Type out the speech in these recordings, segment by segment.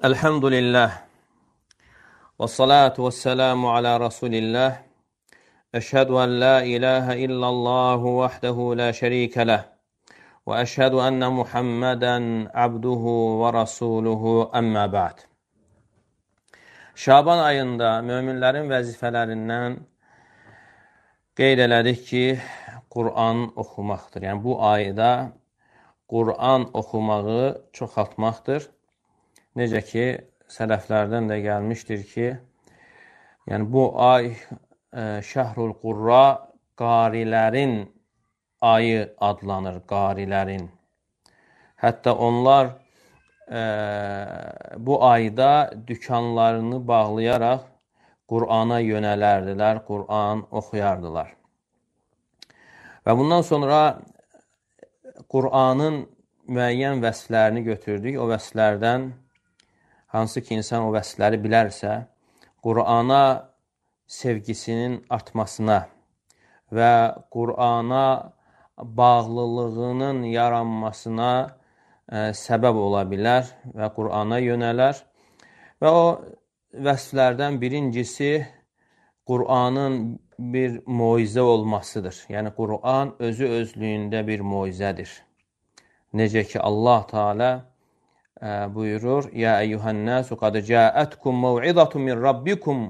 Elhamdülillah və salatu və selamu ala Rasulillah. Əşhədu ən la ilahə illallahu vəhdəhu la şərikə ləh və əşhədu ənə Muhammədən abduhu və rasuluhu əmmə ba'd. Şaban ayında möminlərin vəzifələrindən qeyd elədik ki, Qur'an oxumaqdır. Yəni bu ayda Qur'an oxumağı çoxaltmaqdır. Necə ki, sələflərdən də gəlmişdir ki, yəni bu ay Şəhrul Qurra qarilərin ayı adlanır, qarilərin. Hətta onlar bu ayda dükanlarını bağlayaraq Qur'ana yönələrdilər, Qur'an oxuyardılar. Və bundan sonra Qur'anın müəyyən vəsflərini götürdük. O vəsflərdən hansı ki, insan o vəsfləri bilərsə, Qur'ana sevgisinin artmasına və Qur'ana bağlılığının yaranmasına səbəb ola bilər və Qur'ana yönələr. Və o vəsflərdən birincisi Qur'anın bir moizə olmasıdır. Yəni, Qur'an özü özlüyündə bir moizədir. Necə ki, Allah Teala buyurur, Ya eyyuhənnəsu qad cəətkum məv'izatun min rabbikum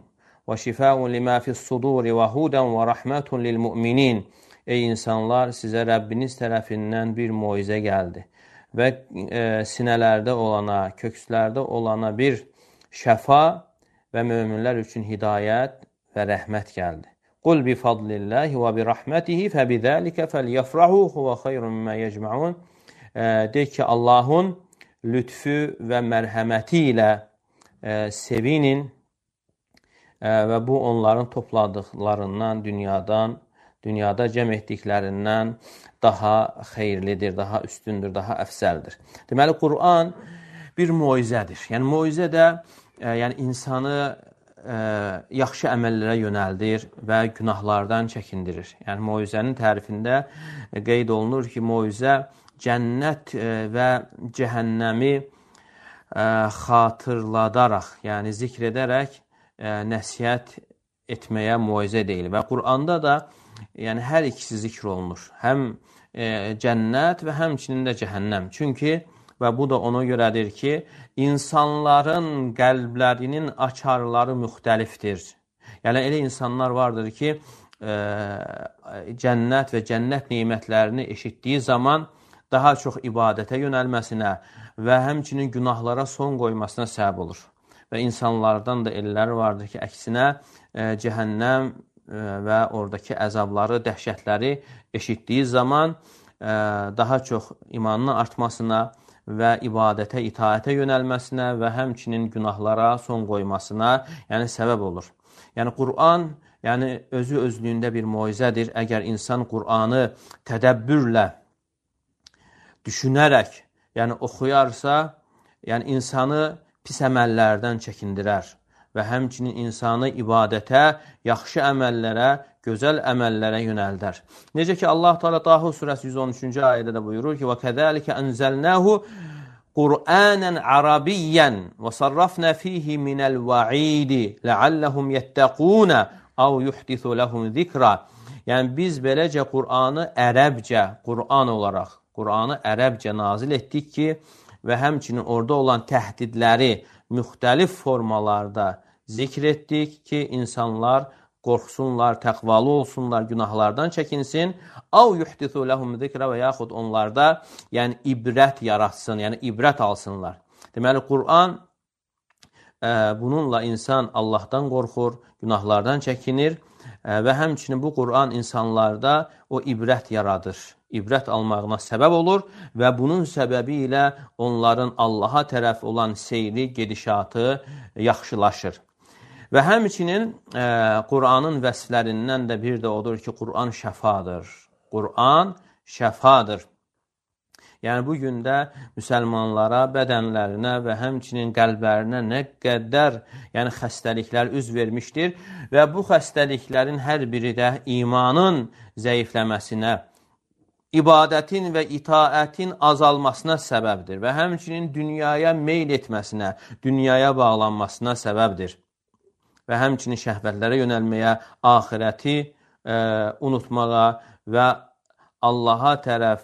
və şifəun limə fis-suduri və hudən və rəhmətun lil-mü'minin. Ey insanlar, sizə Rəbbiniz tərəfindən bir moizə gəldi və sinələrdə olana, kökslərdə olana bir şəfa və möminlər üçün hidayət və rəhmət gəldi. Qul bi fadlillahi və bi rəhmətihi fəbidəlikə fəlyəfrahu huvə xeyrun mimə yecma'un. De ki, Allahın lütfü və mərhəməti ilə sevinin və bu onların topladıqlarından, dünyada cəm etdiklərindən daha xeyirlidir, daha üstündür, daha əfsəldir. Deməli, Qur'an bir moizədir. Yəni, moizə də insanı yaxşı əməllərə yönəldir və günahlardan çəkindirir. Yəni, moizənin tərifində qeyd olunur ki, moizə cənnət və cəhənnəmi xatırladaraq, yəni zikr edərək nəsihət etməyə moizə deyilir. Və Qur'anda da hər ikisi zikr olunur. Həm cənnət və həmçinin də cəhənnəm. Çünki, və bu da ona görədir ki, insanların qəlblərinin açarları müxtəlifdir. Yəni, elə insanlar vardır ki, cənnət və cənnət neymətlərini eşitdiyi zaman daha çox ibadətə yönəlməsinə və həmçinin günahlara son qoymasına səbəb olur. Və insanlardan da elləri vardır ki, əksinə cəhənnəm və oradakı əzabları, dəhşətləri eşitdiyi zaman daha çox imanının artmasına və ibadətə, itaətə yönəlməsinə və həmçinin günahlara son qoymasına səbəb olur. Yəni, Qur'an özü özlüyündə bir moizədir. Əgər insan Qur'anı tədəbbürlə düşünərək, oxuyarsa, insanı pis əməllərdən çəkindirər və həmçinin insanı ibadətə, yaxşı əməllərə, gözəl əməllərə yönəldər. Necə ki, Allah Teala Taha surəsi 113-cü ayədə də buyurur ki, وَكَذَلِكَ أَنْزَلْنَاهُ قُرْآنًا عَرَبِيًّا وَصَرَّفْنَا فِيهِ مِنَ الْوَعِيدِ لَعَلَّهُمْ يَتَّقُونَ أَوْ يُحْدِثُ لَهُمْ ذِكْرًا. Yəni, biz beləcə Qur'anı ərəbcə, Qur'an olaraq, Qur'anı ərəbcə nazil etdik ki, və həmçinin orada olan təhdidləri müxtəlif formalarda zikr etdik ki, insanlar qorxsunlar, təqvalı olsunlar, günahlardan çəkinsin. Av yuhdithu ləhum zikrə və yaxud onlarda ibrət yaratsın, ibrət alsınlar. Deməli, Qur'an bununla insan Allahdan qorxur, günahlardan çəkinir və həmçinin bu Qur'an insanlarda o ibrət yaradır. İbrət almağına səbəb olur və bunun səbəbi ilə onların Allaha tərəf olan seyri, gedişatı yaxşılaşır. Və həmçinin Qur'anın vəsflərindən də bir də odur ki, Qur'an şəfadır. Qur'an şəfadır. Yəni, bugün də müsəlmanlara, bədənlərinə və həmçinin qəlblərinə nə qədər xəstəliklər üz vermişdir və bu xəstəliklərin hər biri də imanın zəifləməsinə ibadətin və itaətin azalmasına səbəbdir və həmçinin dünyaya meyl etməsinə, dünyaya bağlanmasına səbəbdir və həmçinin şəhvətlərə yönəlməyə, axirəti unutmağa və Allaha tərəf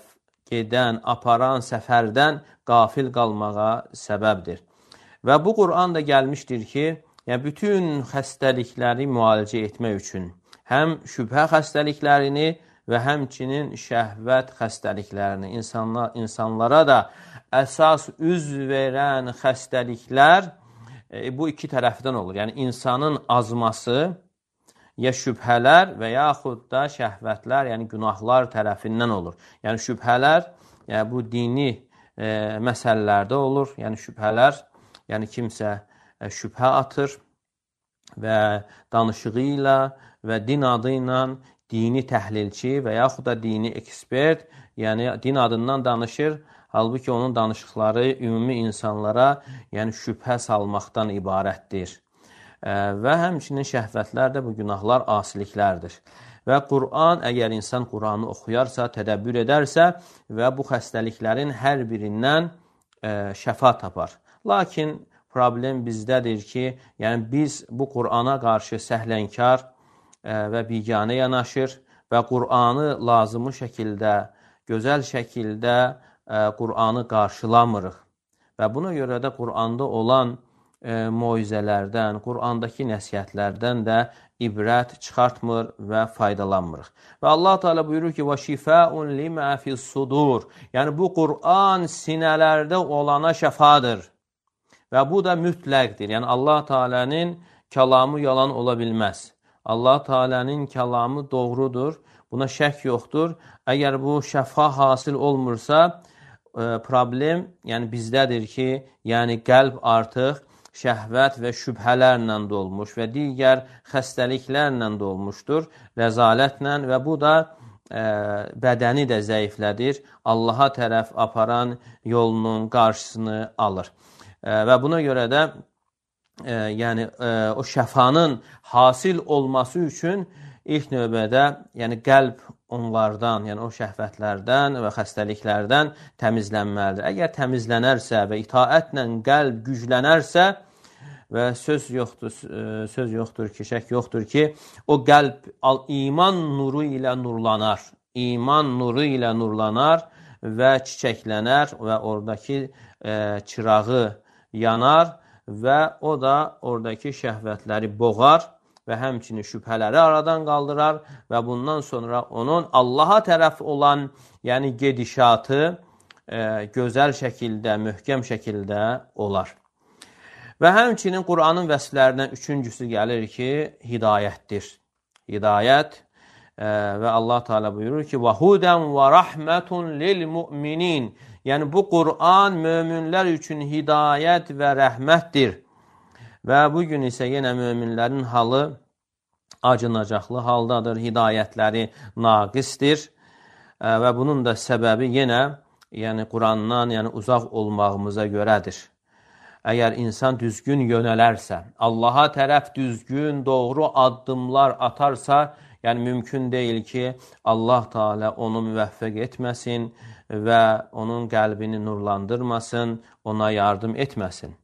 gedən, aparan səfərdən qafil qalmağa səbəbdir. Və bu Qur'an da gəlmişdir ki, yəni bütün xəstəlikləri müalicə etmək üçün, həm şübhə xəstəliklərini və həmçinin şəhvət xəstəliklərini, insanlara da əsas üz verən xəstəliklər bu iki tərəfdən olur. Yəni, insanın azması, ya şübhələr və yaxud da şəhvətlər, yəni günahlar tərəfindən olur. Yəni, şübhələr bu dini məsələlərdə olur. Yəni, şübhələr, yəni kimsə şübhə atır və danışığı ilə və din adı ilə dini təhlilçi və yaxud da dini ekspert, yəni din adından danışır, halbuki onun danışıqları ümumi insanlara yəni şübhə salmaqdan ibarətdir. Və həmçinin şəhvətlər də bu günahlar asiliklərdir. Və Qur'an, əgər insan Qur'anı oxuyarsa, tədəbbür edərsə və bu xəstəliklərin hər birindən şəfa tapar. Lakin problem bizdədir ki, yəni biz bu Qur'ana qarşı səhlənkar və biganə yanaşır və Qur'anı lazımı şəkildə, gözəl şəkildə Qur'anı qarşılamırıq. Və buna görə də Qur'anda olan moizələrdən, Qur'andakı nəsihətlərdən də ibrət çıxartmır və faydalanmırıq. Və Allah Teala buyurur ki, وَشِفَاءٌ لِمَا فِي الصُّدُورِ Yəni bu Qur'an sinələrdə olana şəfadır. Və bu da mütləqdir. Yəni Allah Teala'nın kəlamı yalan ola bilməz. Allah Teala'nın kəlamı doğrudur. Buna şək yoxdur. Əgər bu şəfa hasil olmursa, problem yəni bizdədir ki, yəni qəlb artıq şəhvət və şübhələrlə dolmuş və digər xəstəliklərlə dolmuşdur, rəzalətlə və bu da bədəni də zəiflədir, Allaha tərəf aparan yolunun qarşısını alır. Və buna görə də yəni o şəfanın hasil olması üçün ilk növbədə yəni qəlb onlardan, yəni o şəhvətlərdən və xəstəliklərdən təmizlənməlidir. Əgər təmizlənərsə və itaətlə qəlb güclənərsə və söz yoxdur ki, şək yoxdur ki, o qəlb iman nuru ilə nurlanar. İman nuru ilə nurlanar və çiçəklənər və oradakı çırağı yanar və o da oradakı şəhvətləri boğar və həmçinin şübhələri aradan qaldırar və bundan sonra onun Allaha tərəf olan yəni gedişatı gözəl şəkildə, möhkəm şəkildə olar. Və həmçinin Qur'anın vəsflərindən üçüncüsü gəlir ki, hidayətdir. Hidayət və Allah Teala buyurur ki, وَهُدًا وَرَحْمَةٌ لِلْمُؤْمِنِينَ Yəni bu Qur'an möminlər üçün hidayət və rəhmətdir. Və bugün isə yenə möminlərin halı acınacaqlı haldadır, hidayətləri naqisdir və bunun da səbəbi yenə yəni Qur'andan yəni uzaq olmağımıza görədir. Əgər insan düzgün yönələrsə, Allaha tərəf düzgün, doğru addımlar atarsa, yəni mümkün deyil ki, Allah Teala onu müvəffəq etməsin və onun qəlbini nurlandırmasın, ona yardım etməsin.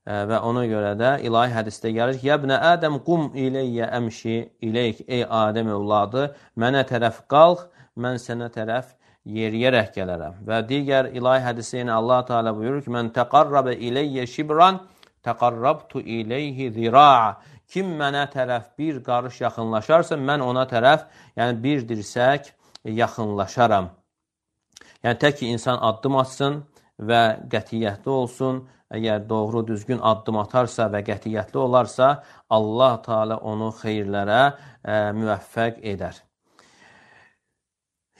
Və ona görə də ilahi hədisdə gəlir ki, Yəbnə Ədəm qum iləyyə əmşi iləyk, ey Adəm övladı, mənə tərəf qalx, mən sənə tərəf yeriyərək gələrəm. Və digər ilahi hədisdə yenə Allah Teala buyurur ki, mən təqarrabə iləyyə şibran, təqarrabtu iləyhi zira'a. Kim mənə tərəf bir qarış yaxınlaşarsa, mən ona tərəf, yəni bir dirsək yaxınlaşaram. Yəni, tək ki, insan addım atsın və qətiyyətli olsun. Əgər doğru, düzgün addım atarsa və qətiyyətli olarsa, Allah Teala onu xeyirlərə müvəffəq edər.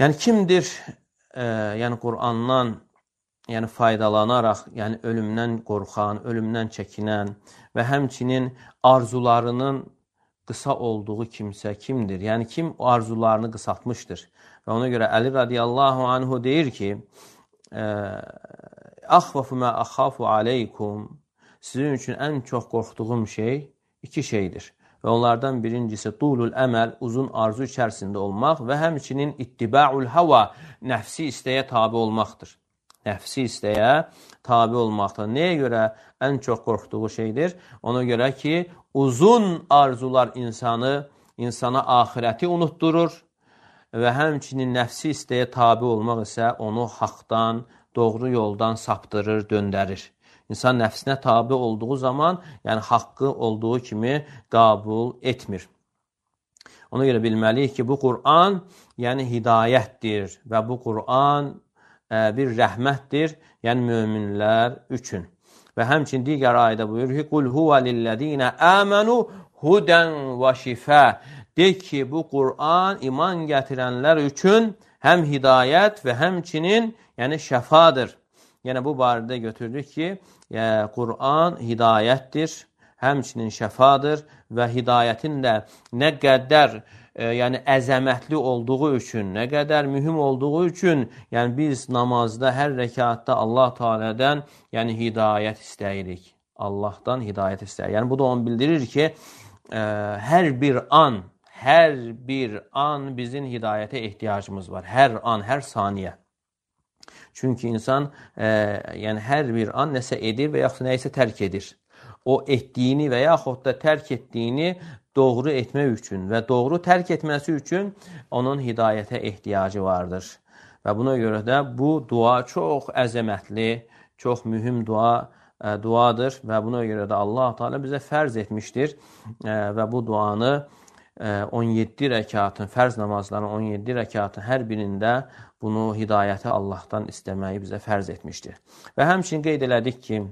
Yəni, kimdir yəni Qur'andan yəni faydalanaraq, yəni ölümdən qorxan, ölümdən çəkinən və həmçinin arzularının qısa olduğu kimsə kimdir? Yəni, kim arzularını qısaltmışdır? Və ona görə Əli radiyallahu anhu deyir ki, Əxvafu mə əxafu aleykum Sizin üçün ən çox qorxduğum şey iki şeydir. və onlardan birincisi tulul əməl, uzun arzu içərisində olmaq və həmçinin ittiba'ul hava, nəfsi istəyə tabi olmaqdır. Nəfsi istəyə tabi olmaqdır. Nəyə görə ən çox qorxduğu şeydir? Ona görə ki, uzun arzular insana axirəti unutdurur və həmçinin nəfsi istəyə tabi olmaq isə onu haqdan, doğru yoldan saptırır, döndərir. İnsan nəfsinə tabi olduğu zaman, yəni haqqı olduğu kimi qəbul etmir. Ona görə bilməliyik ki, bu Qur'an yəni hidayətdir və bu Qur'an bir rəhmətdir, yəni möminlər üçün. Və həmçin digər ayədə buyurur ki, Qul huvə lillədinə əmənu hudən və şifə. De ki, bu Qur'an iman gətirənlər üçün həm hidayət və həmçinin yəni şəfadır. Yəni bu barədə götürdük ki, Qur'an hidayətdir, həmçinin şəfadır və hidayətin də nə qədər yəni əzəmətli olduğu üçün, nə qədər mühüm olduğu üçün, yəni biz namazda hər rəkatda Allah Teala'dan yəni hidayət istəyirik. Allahdan hidayət istəyirik. Yəni bu da onu bildirir ki, hər bir an bizim hidayətə ehtiyacımız var. Hər an, hər saniyə. Çünki insan yəni hər bir an nəsə edir və yaxud nəyisə tərk edir. O etdiyini və yaxud da tərk etdiyini doğru etmək üçün və doğru tərk etməsi üçün onun hidayətə ehtiyacı vardır. Və buna görə də bu dua çox əzəmətli, çox mühüm duadır və buna görə də Allah Teala bizə fərz etmişdir və bu duanı 17 rəkatın, fərz namazların 17 rəkatın hər birində bunu hidayəti Allahdan istəməyi bizə fərz etmişdir. Və həmçinin qeyd elədik ki,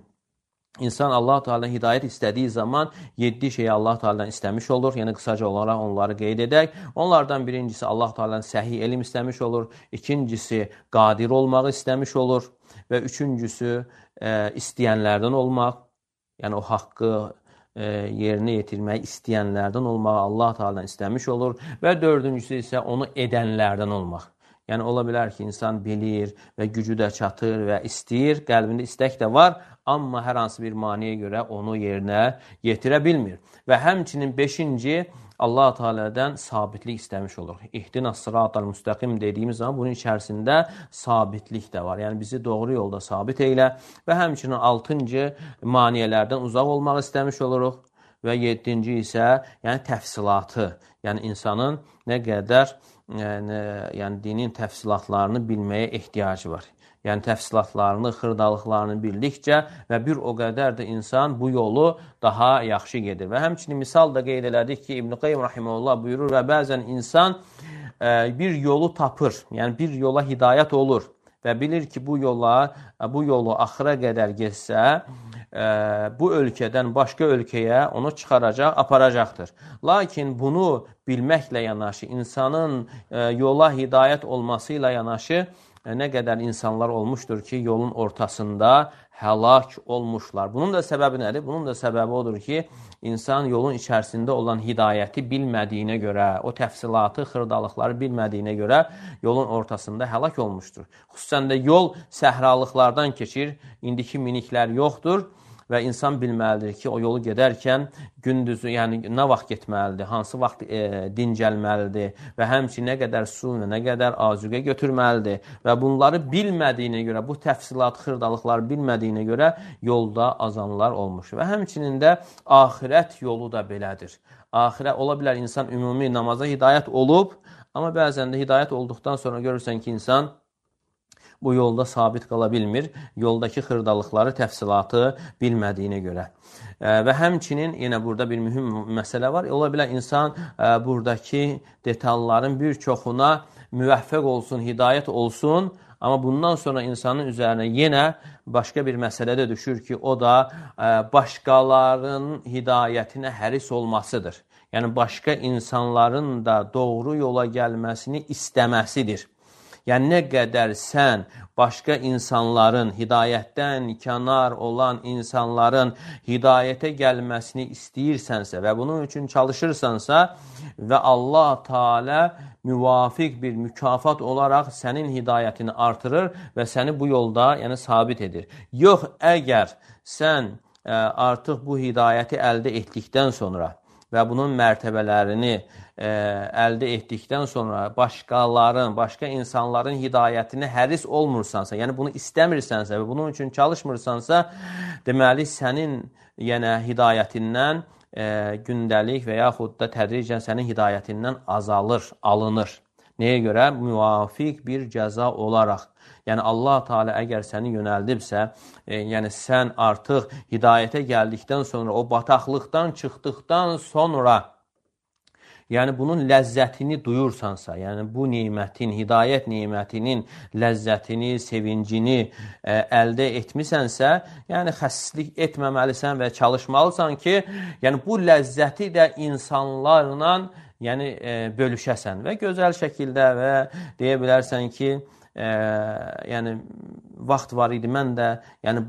İnsan Allah Teala'dan hidayət istədiyi zaman 7 şeyi Allah Teala'dan istəmiş olur. Yəni qısaca olaraq onları qeyd edək. Onlardan birincisi Allah Teala'dan səhi elm istəmiş olur. İkincisi qadir olmağı istəmiş olur. Və üçüncüsü istəyənlərdən olmaq. Yəni o haqqı yerinə yetirməyi istəyənlərdən olmağı Allah Teala'dan istəmiş olur. Və dördüncüsü isə onu edənlərdən olmaq. Yəni ola bilər ki, insan bilir və gücü də çatır və istəyir, qəlbində istək də var, amma hər hansı bir maniyə görə onu yerinə yetirə bilmir. Və həmçinin 5-ci Allah Teala'dan sabitlik istəmiş olur. İhdinas sıratal müstəqim dediyimiz zaman bunun içərisində sabitlik də var. Yəni bizi doğru yolda sabit eylə və həmçinin 6-cı maniyələrdən uzaq olmaq istəmiş oluruq və 7-ci isə yəni təfsilatı, yəni insanın nə qədər yəni dinin təfsilatlarını bilməyə ehtiyacı var. Yəni təfsilatlarını, xırdalıqlarını bildikcə və bir o qədər də insan bu yolu daha yaxşı gedir. Və həmçinin misal da qeyd elədik ki, İbn-i Qayyim rahimehullah buyurur və bəzən insan bir yolu tapır, yəni bir yola hidayət olur və bilir ki, bu yolu axıra qədər getsə, bu ölkədən başqa ölkəyə onu çıxaracaq, aparacaqdır. Lakin bunu bilməklə yanaşı, insanın yola hidayət olması ilə yanaşı, nə qədər insanlar olmuşdur ki, yolun ortasında həlak olmuşlar. Bunun da səbəbi nədir? Bunun da səbəbi odur ki, insan yolun içərisində olan hidayəti bilmədiyinə görə, o təfsilatı, xırdalıqları bilmədiyinə görə yolun ortasında həlak olmuşdur. Xüsusən də yol səhralıqlardan keçir, indiki miniklər yoxdur. Və insan bilməlidir ki, o yolu gedərkən gündüzü, yəni nə vaxt getməlidir, hansı vaxt dincəlməlidir və həmçinin nə qədər su, nə qədər azuqə götürməlidir. Və bunları bilmədiyinə görə, bu təfsilat, xırdalıqları bilmədiyinə görə yolda azanlar olmuş. Və həmçinin də axirət yolu da belədir. Axirət, ola bilər insan ümumi namaza hidayət olub, amma bəzən də hidayət olduqdan sonra görürsən ki, insan bu yolda sabit qala bilmir, yoldakı xırdalıqları, təfsilatı bilmədiyinə görə. Və həmçinin yenə burada bir mühüm məsələ var. Ola bilər insan buradakı detalların bir çoxuna müvəffəq olsun, hidayət olsun, amma bundan sonra insanın üzərinə yenə başqa bir məsələ də düşür ki, o da başqalarının hidayətinə həris olmasıdır. Yəni başqa insanların da doğru yola gəlməsini istəməsidir. Yəni, nə qədər sən başqa insanların, hidayətdən kənar olan insanların hidayətə gəlməsini istəyirsənsə və bunun üçün çalışırsansa və Allah Teala müvafiq bir mükafat olaraq sənin hidayətini artırır və səni bu yolda yəni sabit edir. Yox, əgər sən artıq bu hidayəti əldə etdikdən sonra və bunun mərtəbələrini əldə etdikdən sonra başqaların, başqa insanların hidayətini həris olmursansa, yəni bunu istəmirsənsə və bunun üçün çalışmırsansa, deməli sənin hidayətindən gündəlik və yaxud da tədricən sənin hidayətindən azalır, alınır. Nəyə görə? Müvafiq bir cəza olaraq. Yəni Allah Teala əgər səni yönəldibsə, yəni sən artıq hidayətə gəldikdən sonra, o bataqlıqdan çıxdıqdan sonra, yəni bunun ləzzətini duyursansa, yəni bu nemətin, hidayət nemətinin ləzzətini, sevincini əldə etmisənsə, yəni xəssislik etməməlisən və çalışmalısan ki, yəni bu ləzzəti də insanlarla bölüşəsən və gözəl şəkildə və deyə bilərsən ki, yəni vaxt var idi, mən də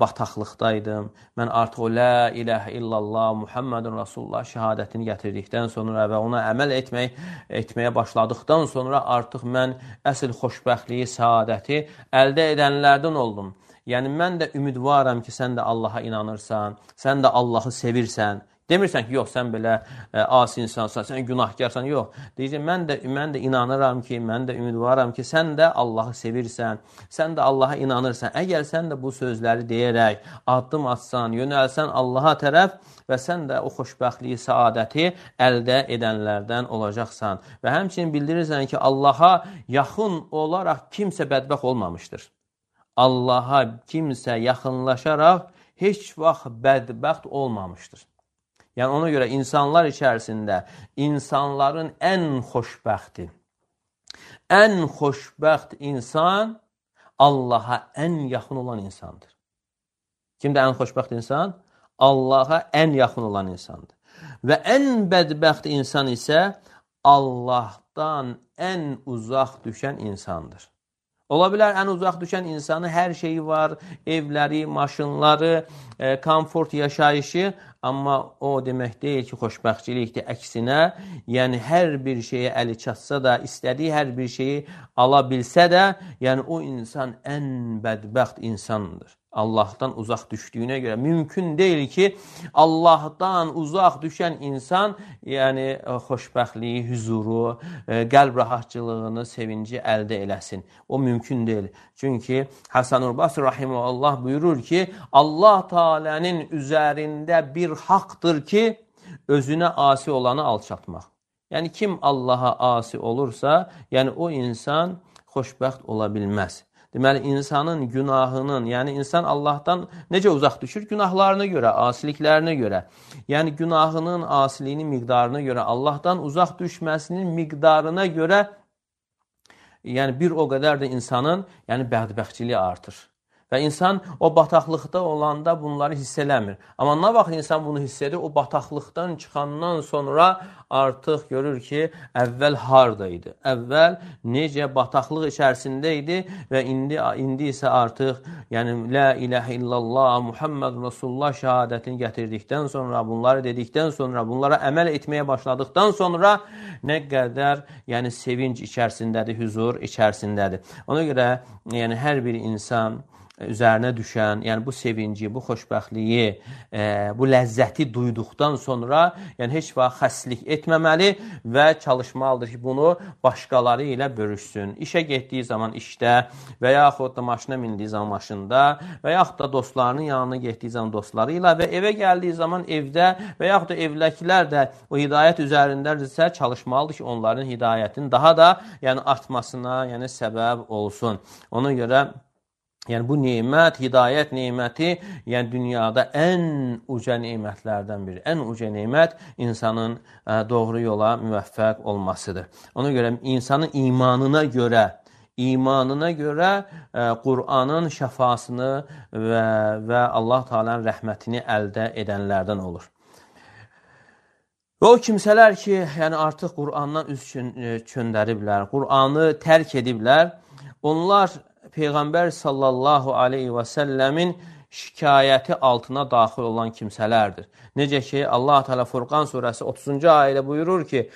bataqlıqdaydım. Mən artıq o la ilahə illallah Muhammedun Rasulullah şəhadətini gətirdikdən sonra və ona əməl etməyə başladıqdan sonra artıq mən əsl xoşbəxtliyi, səadəti əldə edənlərdən oldum. Yəni mən də ümidvaram ki, sən də Allaha inanırsan, sən də Allahı sevirsən. Demirsən ki, yox, sən belə asi insansan, sən günahkarsan, yox. Deyəcək, mən də inanıram ki, mən də ümidvaram ki, sən də Allahı sevirsən, sən də Allaha inanırsan. Əgər sən də bu sözləri deyərək addım atsan, yönəlsən Allaha tərəf və sən də o xoşbəxtliyi, səadəti əldə edənlərdən olacaqsan. Və həmçinin bildirirsən ki, Allaha yaxın olaraq kimsə bədbəxt olmamışdır. Allaha kimsə yaxınlaşaraq heç vaxt bədbəxt olmamışdır. Yəni ona görə insanlar içərisində insanların ən xoşbəxt insan Allaha ən yaxın olan insandır. Kimdə ən xoşbəxt insan? Allaha ən yaxın olan insandır. Və ən bədbəxt insan isə Allahdan ən uzaq düşən insandır. Ola bilər, ən uzaq düşən insanın hər şeyi var, evləri, maşınları, komfort yaşayışı, amma o demək deyil ki, xoşbəxtçilikdir. Əksinə, yəni hər bir şeyə əli çatsa da, istədiyi hər bir şeyi ala bilsə də, yəni o insan ən bədbəxt insandır. Allahdan uzaq düşdüyünə görə mümkün deyil ki, Allahdan uzaq düşən insan yəni xoşbəxtliyi, hüzuru, qəlb rahatçılığını, sevinci əldə eləsin. O mümkün deyil. Çünki Həsən-ül Basri rahimehullah buyurur ki, Allah Teala'nın üzərində bir haqdır ki, özünə asi olanı alçatmaq. Yəni kim Allaha asi olursa, yəni o insan xoşbəxt ola bilməz. Deməli, insanın günahının, yəni insan Allahdan necə uzaq düşür? Günahlarına görə, asiliklərinə görə. Yəni günahının, asiliyinin miqdarına görə, Allahdan uzaq düşməsinin miqdarına görə, yəni bir o qədər də insanın bədbəxtçiliyi artır. Və insan o bataqlıqda olanda bunları hiss eləmir. Amma nə vaxt insan bunu hiss edir, o bataqlıqdan çıxandan sonra artıq görür ki, əvvəl haradaydı. Əvvəl necə bataqlıq içərisində idi və indi isə artıq la ilahə illallah Muhammed Rasulullah şəhadətini gətirdikdən sonra, bunları dedikdən sonra, bunlara əməl etməyə başladıqdan sonra nə qədər sevinc içərisindədir, huzur içərisindədir. Ona görə hər bir insan üzərinə düşən, yəni bu sevinci, bu xoşbəxtliyi, bu ləzzəti duyduqdan sonra heç vaxt xəstlik etməməli və çalışmalıdır ki, bunu başqaları ilə bölüşsün. İşə getdiyi zaman işdə və yaxud da maşına mindiyi zaman maşında və yaxud da dostlarının yanına getdiyi zaman dostları ilə və evə gəldiyi zaman evdə və yaxud da evdəkilər də o hidayət üzərindədirsə çalışmalıdır ki, onların hidayətinin daha da artmasına səbəb olsun. Ona görə bu nemət, hidayət neməti, dünyada ən uca nemətlərdən biri. Ən uca nemət insanın doğru yola müvəffəq olmasıdır. Ona görə insanın imanına görə Qur'anın şəfasını və Allah Teala'nın rəhmətini əldə edənlərdən olur. Və o kimsələr ki, artıq Qur'andan üz çöndəriblər, Qur'anı tərk ediblər, onlar Peyğəmbər sallallahu aleyhi və səlləmin şikayəti altına daxil olan kimsələrdir. Necə ki, Allah Teala Furqan surəsi 30-cu ayədə buyurur ki,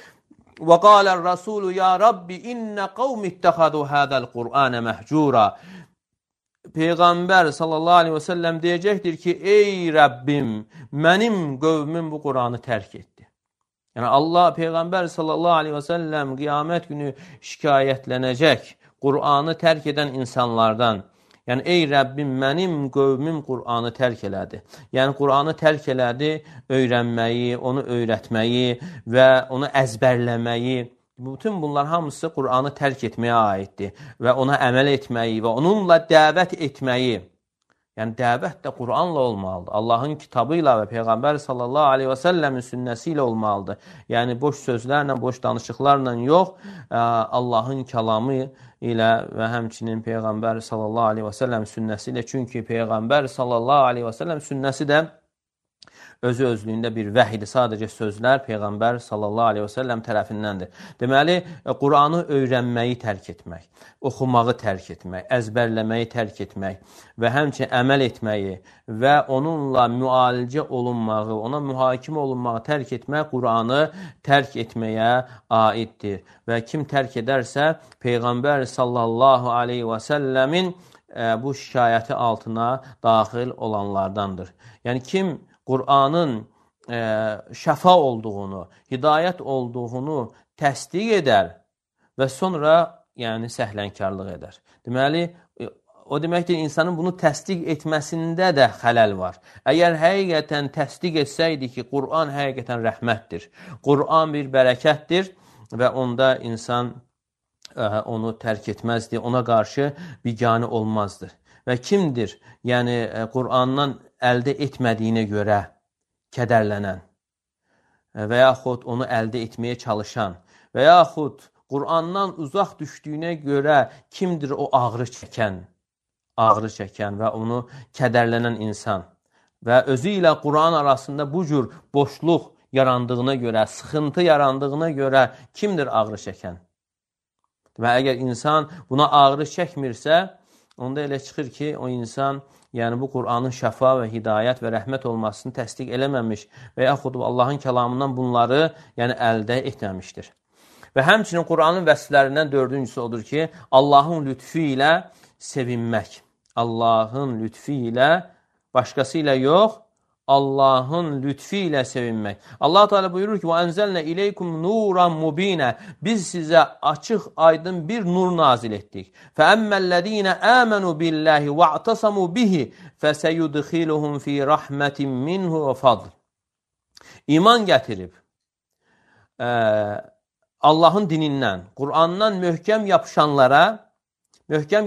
وَقَالَ الرَّسُولُ يَا رَبِّ إِنَّ قَوْمِ اتَّخَذُوا هَذَا الْقُرْآنَ مَهْجُورًا Peyğəmbər sallallahu aleyhi və səlləm deyəcəkdir ki, ey Rəbbim, mənim qövmüm bu Qur'anı tərk etdi. Yəni Allah, Peyğəmbər sallallahu aleyhi və səlləm qiyamət günü şikayətlənəcək Qur'anı tərk edən insanlardan. Yəni, ey Rəbbim, mənim qövmüm Qur'anı tərk elədi. Yəni, Qur'anı tərk elədi, öyrənməyi, onu öyrətməyi və onu əzbərləməyi. Bütün bunlar hamısı Qur'anı tərk etməyə aiddir və ona əməl etməyi və onunla dəvət etməyi. Yəni, dəvət də Qur'anla olmalıdır. Allahın kitabı ilə və Peyğəmbər sallallahu aleyhi və səlləmin sünnəsi ilə olmalıdır. Yəni, boş sözlərlə, boş danışıqlarla yox, Allahın kəlamı ilə və həmçinin Peyğəmbər sallallahu aleyhi və səlləm sünnəsi ilə. Çünki Peyğəmbər sallallahu aleyhi və səlləm sünnəsi də özü özlüyündə bir vəhidir. Sadəcə sözlər Peyğəmbər sallallahu aleyhi və səlləm tərəfindəndir. Deməli, Qur'anı öyrənməyi tərk etmək, oxumağı tərk etmək, əzbərləməyi tərk etmək və həmçinin əməl etməyi və onunla müalicə olunmağı, ona mühakimə olunmağı tərk etmək Qur'anı tərk etməyə aiddir. Və kim tərk edərsə, Peyğəmbər sallallahu aleyhi və səlləmin bu şikayəti altına daxil olanlardandır. Yəni, kim Qur'anın şəfa olduğunu, hidayət olduğunu təsdiq edər və sonra səhlənkarlıq edər. Deməli, o deməkdir, insanın bunu təsdiq etməsində də xələl var. Əgər həqiqətən təsdiq etsəydi ki, Qur'an həqiqətən rəhmətdir, Qur'an bir bərəkətdir və onda insan onu tərk etməzdi, ona qarşı biganə olmazdı. Və kimdir, yəni Qur'andan əldə etmədiyinə görə kədərlənən və yaxud onu əldə etməyə çalışan və yaxud Qur'andan uzaq düşdüyünə görə kimdir o ağrı çəkən və onu kədərlənən insan və özü ilə Qur'an arasında bu cür boşluq yarandığına görə, sıxıntı yarandığına görə kimdir ağrı çəkən? Və əgər insan buna ağrı çəkmirsə, onda elə çıxır ki, o insan bu Qur'anın şəfa və hidayət və rəhmət olmasını təsdiq eləməmiş və yaxud Allahın kəlamından bunları əldə etməmişdir. Və həmçinin Qur'anın vəsflərindən dördüncüsü odur ki, Allahın lütfü ilə sevinmək. Allahın lütfü ilə, başqası ilə yox, Allahın lütfü ilə sevinmək. Allah Teala buyurur ki, وَاَنْزَلْنَا اِلَيْكُمْ نُورًا مُب۪ينًا Biz sizə açıq, aydın bir nur nazil etdik. فَأَمَّا الَّذ۪ينَ آمَنُوا بِاللّٰهِ وَاعْتَصَمُوا بِهِ فَسَيُدْخِلُهُمْ ف۪ي رَحْمَةٍ مِّنْهُ وَفَضْلٍ İman gətirib, Allahın dinindən, Qur'andan möhkəm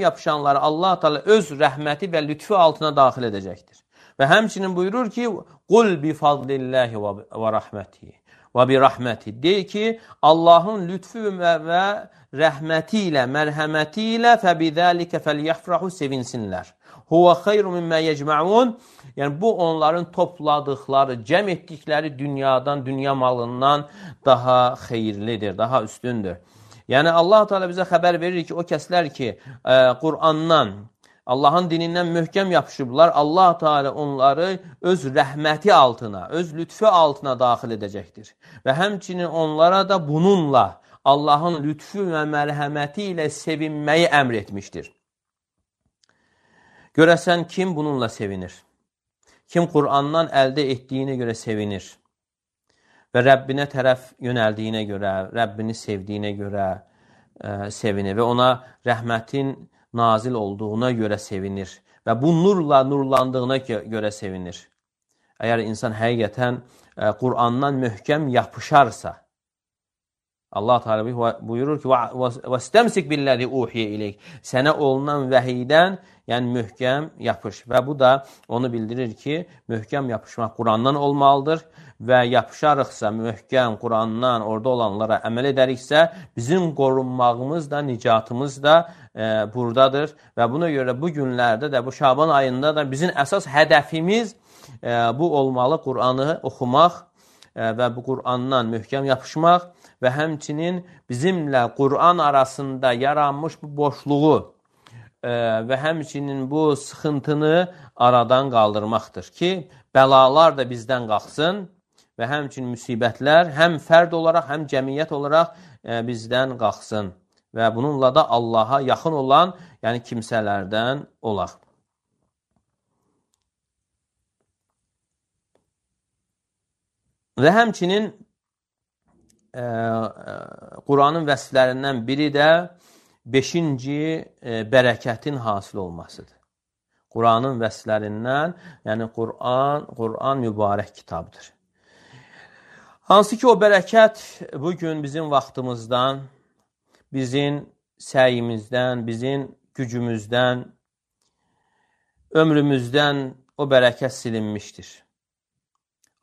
yapışanlara Allah Teala öz rəhməti və lütfü altına daxil edəcəkdir. Və həmçinin buyurur ki, قُلْ بِفَضْلِ və rəhmətihi və birahməti. Deyir ki, Allahın lütfü və rəhməti ilə, mərhəməti ilə فَبِذَٰلِكَ فَلْيَفْرَحُ sevinsinlər. هُوَ خَيْرُ مِمَّا يَجْمَعُونَ Yəni, bu onların topladıqları, cəm etdikləri dünyadan, dünya malından daha xeyirlidir, daha üstündür. Yəni, Allah Teala bizə xəbər verir ki, o kəslər ki, Qur'andan, Allahın dinindən möhkəm yapışıblar, Allah Teala onları öz rəhməti altına, öz lütfü altına daxil edəcəkdir. Və həmçinin onlara da bununla, Allahın lütfü və mərhəməti ilə sevinməyi əmr etmişdir. Görəsən, kim bununla sevinir? Kim Qur'andan əldə etdiyinə görə sevinir və Rəbbinə tərəf yönəldiyinə görə, Rəbbini sevdiyinə görə sevinir və ona rəhmətin nazil olduğuna görə sevinir və bu nurla nurlandığına görə sevinir. Əgər insan həqiqətən Qur'andan möhkəm yapışarsa, Allah Teala buyurur ki, وَاسْتَمْسِكْ بِالَّذِي اُوحِيَ اِلَيْكَ Sənə olunan vəhiydən, yəni möhkəm yapış. Və bu da onu bildirir ki, möhkəm yapışmaq Qur'andan olmalıdır və yapışarıqsa, möhkəm Qur'andan orada olanlara əməl edəriksə, bizim qorunmağımız da, nicatımız da buradadır. Və buna görə bu günlərdə də, bu Şaban ayında da bizim əsas hədəfimiz bu olmalı, Qur'anı oxumaq və bu Qur'andan möhkəm yapışmaq və həmçinin bizimlə Qur'an arasında yaranmış bu boşluğu və həmçinin bu sıxıntını aradan qaldırmaqdır ki, bəlalar da bizdən qalxsın və həmçinin müsibətlər həm fərd olaraq, həm cəmiyyət olaraq bizdən qalxsın və bununla da Allaha yaxın olan, yəni kimsələrdən olaq. Və həmçinin Quranın vəsflərindən biri də 5-ci bərəkətin hasil olmasıdır. Quranın vəsflərindən, yəni Quran mübarək kitabdır. Hansı ki, o bərəkət bugün bizim vaxtımızdan, bizim səyimizdən, bizim gücümüzdən, ömrümüzdən o bərəkət silinmişdir.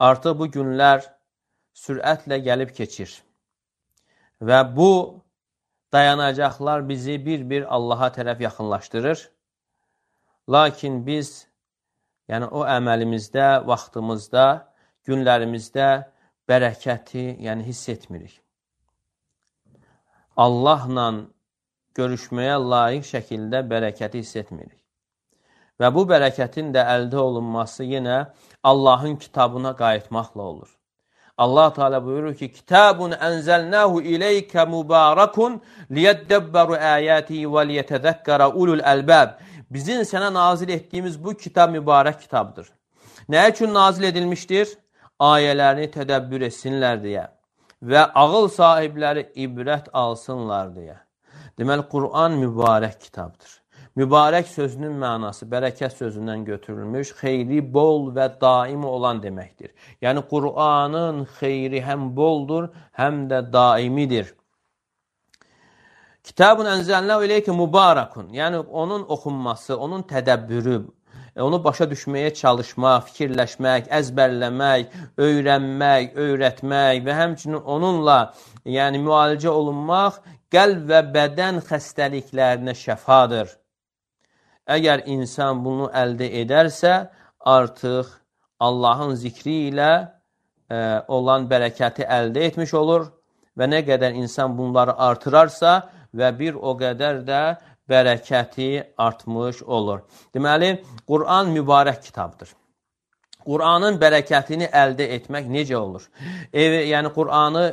Artıq bu günlər sürətlə gəlib keçir və bu dayanacaqlar bizi bir-bir Allaha tərəf yaxınlaşdırır. Lakin biz, yəni o əməlimizdə, vaxtımızda, günlərimizdə bərəkəti, yəni hiss etmirik. Allahla görüşməyə layiq şəkildə bərəkəti hiss etmirik. Və bu bərəkətin də əldə olunması yenə Allahın kitabına qayıtmaqla olur. Allah Teala buyurur ki, Kitabun ənzəlnəhu ileykə mübarakun liyeddəbbəru əyətihi və liyetəzəkkərə ulul əlbəb. Bizim sənə nazil etdiyimiz bu kitab mübarək kitabdır. Nə üçün nazil edilmişdir? Ayələrini tədəbbür etsinlər deyə və ağıl sahibləri ibrət alsınlar deyə. Deməli, Quran mübarək kitabdır. Mübarək sözünün mənası bərəkət sözündən götürülmüş, xeyri bol və daimi olan deməkdir. Yəni, Quranın xeyri həm boldur, həm də daimidir. Kitabun ənzəlnəhu ileykə mübarakun. Yəni, onun oxunması, onun tədəbbürü, onu başa düşməyə çalışmaq, fikirləşmək, əzbərləmək, öyrənmək, öyrətmək və həmçinin onunla yəni, müalicə olunmaq qəlb və bədən xəstəliklərinə şəfadır. Əgər insan bunu əldə edərsə, artıq Allahın zikri ilə olan bərəkəti əldə etmiş olur və nə qədər insan bunları artırarsa və bir o qədər də bərəkəti artmış olur. Deməli, Quran mübarək kitabdır. Quranın bərəkətini əldə etmək necə olur? Yəni, Quranı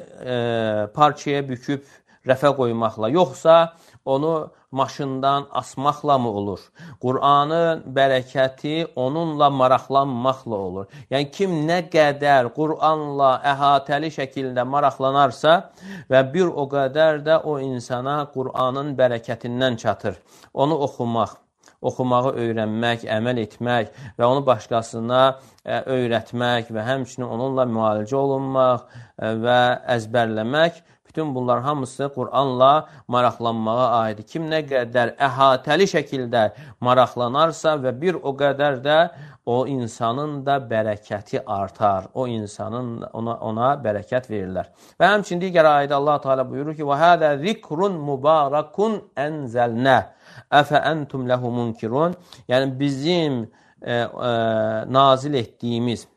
parçaya büküb rəfə qoymaqla, yoxsa onu maşından asmaqla mı olur? Quranın bərəkəti onunla maraqlanmaqla olur. Yəni, kim nə qədər Quranla əhatəli şəkildə maraqlanarsa və bir o qədər də o insana Quranın bərəkətindən çatır. Onu oxumağı öyrənmək, əməl etmək və onu başqasına öyrətmək və həmçinin onunla müalicə olunmaq və əzbərləmək, bütün bunlar hamısı Quranla maraqlanmağa aiddir. Kim nə qədər əhatəli şəkildə maraqlanarsa və bir o qədər də o insanın da bərəkəti artar. O insanın ona bərəkət verirlər. Və həmçinin digər ayədə Allah Teala buyurur ki: "Və hada zikrun mubarakun enzelna afa entum lehu munkirun." Yəni bizim nazil etdiyimiz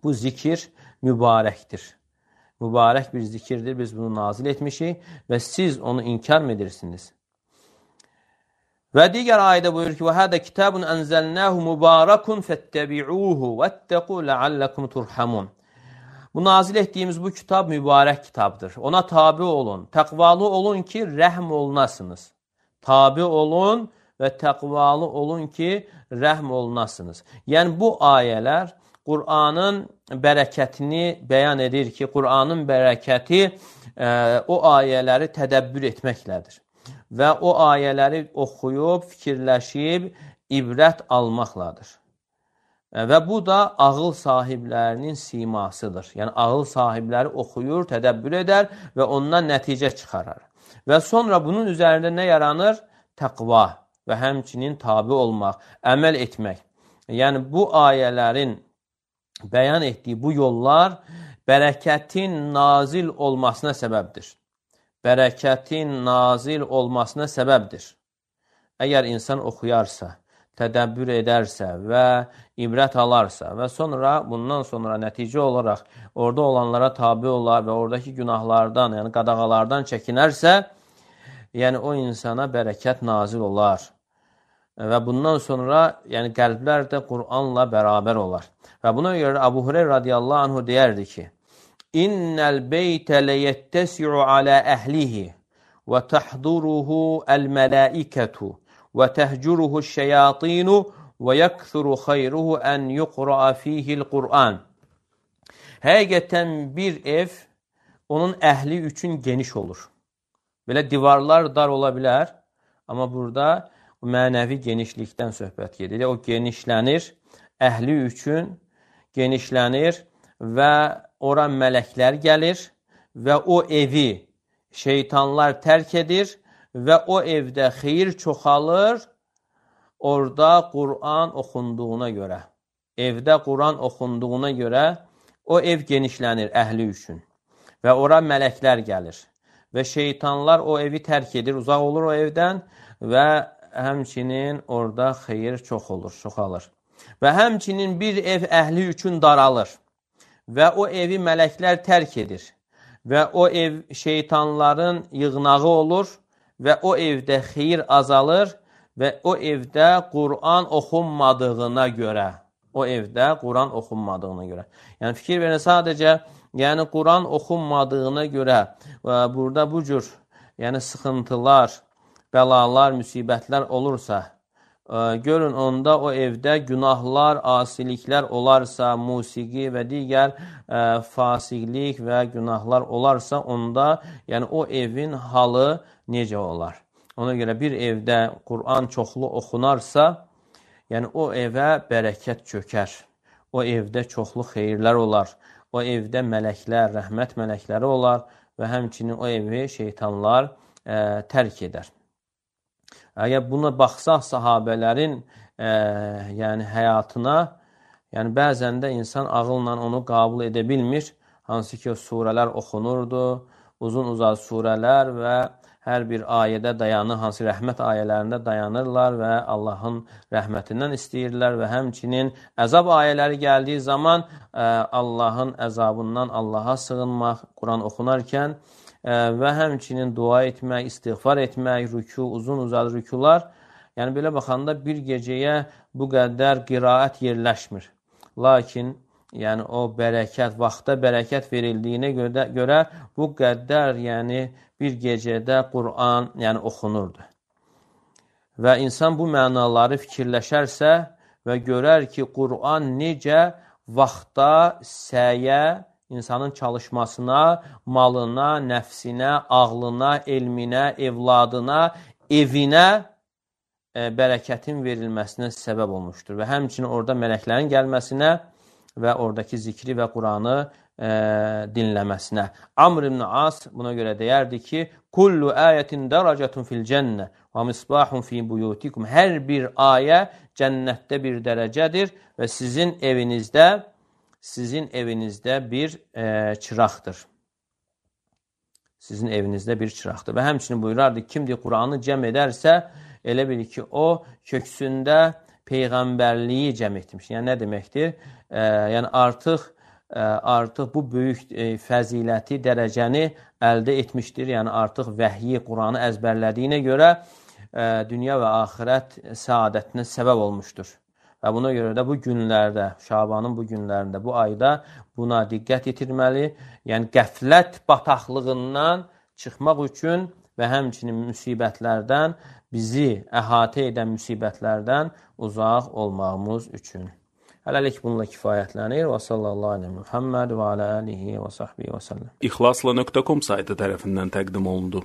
bu zikir mübarəkdir. Mübarək bir zikirdir, biz bunu nazil etmişik və siz onu inkar mı edirsiniz? Və digər ayədə buyurur ki: "Vəhədə kitabun ənzəlnəhu mübarakun fəttəbi'uhu vəttəqu ləalləkum turhamun." Bu nazil etdiyimiz bu kitab mübarək kitabdır. Ona tabi olun, təqvalı olun ki, rəhm olunasınız. Tabi olun və təqvalı olun ki, rəhm olunasınız. Yəni bu ayələr Quranın bərəkətini bəyan edir ki, Quranın bərəkəti o ayələri tədəbbür etməklədir. Və o ayələri oxuyub, fikirləşib, ibrət almaqladır. Və bu da ağıl sahiblərinin simasıdır. Yəni ağıl sahibləri oxuyur, tədəbbür edər və ondan nəticə çıxarar. Və sonra bunun üzərində nə yaranır? Təqva və həmçinin tabi olmaq, əməl etmək. Yəni bu ayələrin bəyan etdiyi bu yollar bərəkətin nazil olmasına səbəbdir. Bərəkətin nazil olmasına səbəbdir. Əgər insan oxuyarsa, tədəbbür edərsə və ibrət alarsa və sonra bundan sonra nəticə olaraq orada olanlara tabi olar və oradakı günahlardan, yəni qadağalardan çəkinərsə, yəni o insana bərəkət nazil olar. Və bundan sonra yəni qəlblər də Quranla bərabər olar. Və buna görə Əbu Hureyra radiyallahu anhu deyərdi ki: "İnnel beyte leyettesi'u ala ehlihi ve tahduruhu el-melaiketu ve tehcuruhu şeyatinu ve yakthuru khayruhu en yuqra'a fihi'l Qur'an." Həqiqətən bir ev onun əhli üçün geniş olur. Belə divarlar dar ola bilər, amma burada mənəvi genişlikdən söhbət gedir. O genişlənir, əhli üçün genişlənir və ora mələklər gəlir və o evi şeytanlar tərk edir və o evdə xeyir çoxalır, orada Qur'an oxunduğuna görə. Evdə Qur'an oxunduğuna görə o ev genişlənir əhli üçün və ora mələklər gəlir. Və şeytanlar o evi tərk edir, uzaq olur o evdən və həmçinin orada xeyir çox olur, çoxalır. Və həmçinin bir ev əhli üçün daralır və o evi mələklər tərk edir və o ev şeytanların yığnağı olur və o evdə xeyir azalır və o evdə Qur'an oxunmadığına görə. Yəni fikir verin, sadəcə Qur'an oxunmadığına görə burada bu cür sıxıntılar, bəlalar, müsibətlər olursa, görün onda o evdə günahlar, asiliklər olarsa, musiqi və digər fasiqlik və günahlar olarsa, onda o evin halı necə olar? Ona görə bir evdə Qur'an çoxlu oxunarsa, o evə bərəkət çökər. O evdə çoxlu xeyirlər olar. O evdə mələklər, rəhmət mələkləri olar və həmçinin o evi şeytanlar tərk edər. Əgər buna baxsaq sahabələrin həyatına, bəzən də insan ağılla onu qəbul edə bilmir. Hansı ki, surələr oxunurdu, uzun-uzaq surələr və hər bir ayədə dayanır, hansı rəhmət ayələrində dayanırlar və Allahın rəhmətindən istəyirlər və həmçinin əzab ayələri gəldiyi zaman Allahın əzabından Allaha sığınmaq, Quran oxunarkən və həmçinin dua etmək, istiğfar etmək, rükû, uzun-uzaq rükûlar. Belə baxanda bir gecəyə bu qədər qiraət yerləşmir. Lakin o bərəkət, vaxta bərəkət verildiyinə görə bu qədər bir gecədə Qur'an oxunurdu. Və insan bu mənaları fikirləşərsə və görər ki, Qur'an necə vaxta, səyə, insanın çalışmasına, malına, nəfsinə, ağlına, elminə, evladına, evinə bərəkətin verilməsinə səbəb olmuşdur. Və həmçinin orada mələklərin gəlməsinə və oradakı zikri və Qur'anı dinləməsinə. Amr ibn As buna görə deyərdi ki, kullu ayətin dərəcətun fil cənnə və misbahun fi buyutikum. Hər bir ayə cənnətdə bir dərəcədir və sizin evinizdə bir çıraqdır. Sizin evinizdə bir çıraqdır. Və həmçinin buyurardı, kimdir Qur'anı cəm edərsə, elə bil ki, o köksündə peyğəmbərliyi cəm etmiş. Yəni, nə deməkdir? Artıq bu böyük fəziləti, dərəcəni əldə etmişdir. Yəni, artıq vəhyi, Quranı əzbərlədiyinə görə dünya və axirət səadətinə səbəb olmuşdur. Və buna görə də bu günlərdə, Şabanın bu günlərində, bu ayda buna diqqət yetirməli. Yəni, qəflət bataqlığından çıxmaq üçün və həmçinin müsibətlərdən, bizi əhatə edən müsibətlərdən uzaq olmağımız üçün. Hələlik bununla kifayətlənir. Və sallallahu aleyhi Muhammed və alə alihi və sahbihi və səlləm. İxlasla.com saytı tərəfindən təqdim olundu.